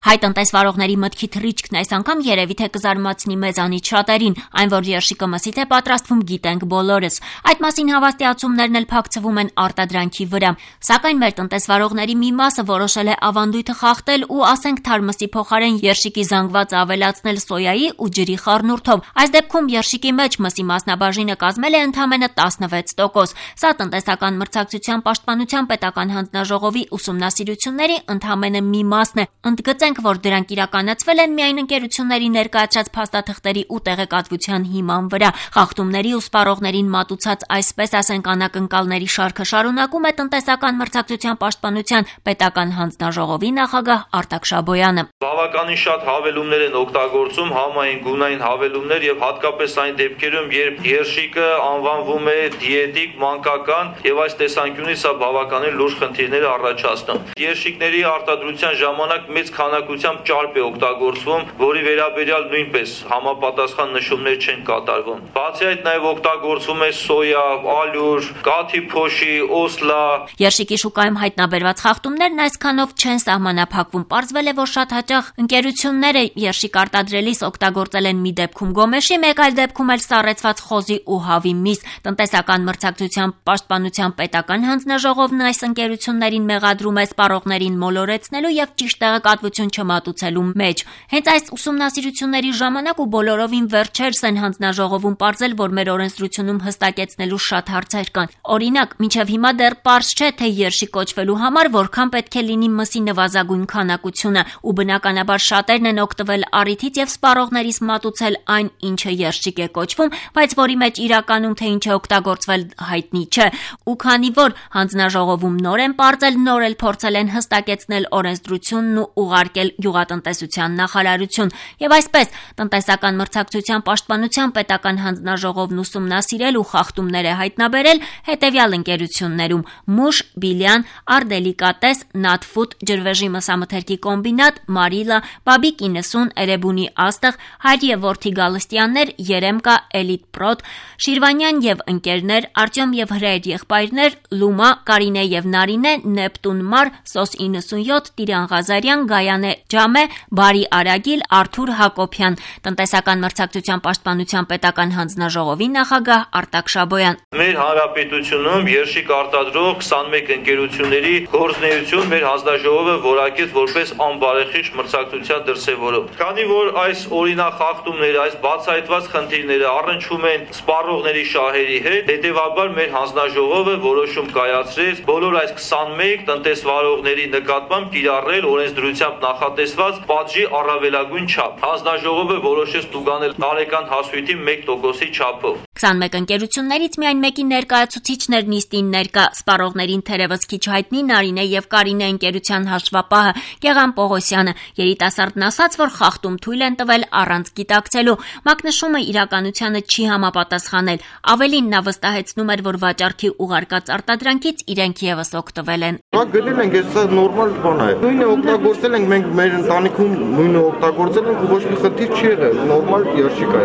Հայ տնտեսվարողների մտքի թռիչքն այս անգամ երևի թե կզարմացնի մեզանից շատերին, այն որ երշիկը մսից է պատրաստվում գիտենք բոլորս։ Այդ մասին հավաստիացումներն էլ փակցվում են արտադրանքի վրա։ Սակայն մեր տնտեսվարողների մի մասը որոշել է ավանդույթը խախտել ու ասենք թարմսի փոխարեն երշիկի զանգվածը ավելացնել սոյայի ու ջրի խառնուրդով։ Այս դեպքում երշիկի մեջ մսի մասնաբաժինը կազմել է ընդամենը 16%։ Սա տնտեսական մրցակցության պաշտպանության պետական հանձնաժողովի ուսումնասիրությունների ընդամենը մի մասն է։ Ընդգծենք, որ դրանք իրականացվել են միայն ընկերությունների ներկայացրած փաստաթղթերի ու տեղեկատվության հիման վրա։ Խախտումների ու սպառողներին մատուցած այսպես ասենք անակնկալների շարքը շարունակում է տնտեսական մրցակցության պաշտպանության պետական հանձնաժողովի նախագահ Արտակ Շաբոյանը։ Բավականին շատ հավելումներ են օգտագործում, համային գունային հավելումներ եւ հատկապես այն դեպքերում, երբ երշիկը անվանվում է դիետիկ, մանկական եւ այս տեսանկյունից սա բավականին լուրջ խնդիրներ է առաջացնում։ Երշիկների արտադրության ժամանակ մեծ քանակությամբ ճարպ է օգտագործվում, որի վերաբերյալ նույնպես համապատասխան նշումներ չեն կատարվում։ Բացի այդ նաեւ օգտագործվում է սոյա, ալյուր, կաթի փոշի, օսլա։ Երշիկի շուկայում հայտնաբերված խախտումներն այսքանով չեն սահմանափակվում։ Պարզվել է, որ շատ հաճախ ընկերությունները երշիկ արտադրելիս օգտագործել են մի դեպքում գոմեշի, մեկ այլ դեպքում էլ սառեցված խոզի ու հավի միս։ Տնտեսական մրցակցության պաշտպանության պետական հանձնաժողովն այս ընկերություններին մեղադրում է սպառողներին մոլորեցնելու եւ ճիշտ տեղեկատվություն չմատուցելու մեջ։ Հենց այս ուսումնասիրությունների ժամանակ ու բոլորովին վերջերս են հանձնաժողովում պարզել, որ մեր օրենսդրությունում հստակեցնելու շատ հարցեր կան։ Օրինակ, մինչև հիմա դեռ պարզ չէ, թե երշիկ կոչվելու համար որքան պետք է լինի մսի նվազագույն քանակությունը, ու բնականաբար շատերն են օգտվել առիթից եւ սպառողներից մատուցել այն, ինչը երշիկ է կոչվում, բայց որի մեջ իրականում թե ինչ է օգտագործվել հայտնի չէ։ Ու քանի որ հանձնաժողովում նոր են պարզել, նոր էլ փորձել են հստակեցնել օրենսդրությունն ու ուղարկել գյուղատնտեսության նախարարություն։ Եվ այսպես տնտեսական մրցակցության պաշտպանության պետական հանձնաժողովն ուսումնասիրել ու խախտումներ է հայտնաբերել հետևյալ ընկերություններում՝ Մուշ, Բիլյան, Արդելիկատես, Նատֆուդ, ջրվեժի մսամթերքի կոմբինատ, Մարիլա, Բաբիկ 90, Էրեբունի աստղ, Հայր եւ որդի Գալստյաններ, Երեմկա, Էլիտ Պրոտ, Շիրվանյան եւ ընկերներ, Արտյոմ եւ Հրայր եղբայրներ, Լումա, Կարինե եւ Նարինե, Նեպտուն Մար, Սոս 97, Տիրան Ղազարյան, Գայանե Ջամե, Բարի Արագիլ, Արթուր Հակոբյան։ Տնտեսական մրցակցության պաշտպանության պետական հանձնաժողովի նախագահ Արտակ Շաբոյան։ Մեր հանրապետությունում երշիկ արտադրող 21 ընկերությունների գործունեություն մեր հանձնաժողովը որակեց որպես անբարեխիղճ մրցակցության դրսևորում։ Քանի որ այս օրինախախտումները, այս բացահայտված խնդիրները առնչվում են սպառողների շահերի հետ, հետևաբար մեր հանձնաժողովը որոշում կայացրեց բոլոր այս 21 տնտեսվարողների նկատմամբ կիրառել օրենսդրությամբ նախատեսված պատժի առավելագույն չափ։ Հանձնաժողովը որոշեց տուգանել տարեկան հասույթի 1%-ի չափով։ 21 ընկերություններից միայն մեկի ներկայացուցիչներ նիստին ներկա, սպառողներին թերևս քիչ հայտնի Նարինե եւ Կարինե ընկերության հաշվապահը Գեղամ Պողոսյանը։ Երիտասարդն ասաց, որ խախտում թույլ են տվել առանց գիտակցելու։ Մակնշումը իրականությանը չի համապատասխանել։ Ավելին նա վստահեցնում էր, որ վաճառքի ուղարկած արտադրանքից իրենք եւս օգտվել են։ Գտել ենք, դա նորմալ բան է։ Նույնը օգտագործել ենք մենք մեր ընտանիքում, նույնը օգտագործել ենք ու ոչ մի խնդիր չի եղել։ Նորմալ երշիկ է։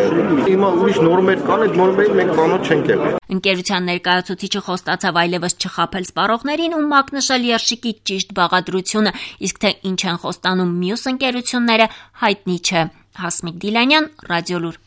Հիմա ուրիշ նորմեր կան, այդ նորմերին մենք ծանոթ չենք եղել։ Ընկերության ներկայացուցիչը խոստացավ այլևս չխաբել սպառողներին ու մակնշել երշիկի ճիշտ բաղադրությունը, իսկ թե ինչ են խոստանում մյուս ընկերությունները հայտնի չէ։ Հասմիկ Դիլանյան, Ռադիոլուր։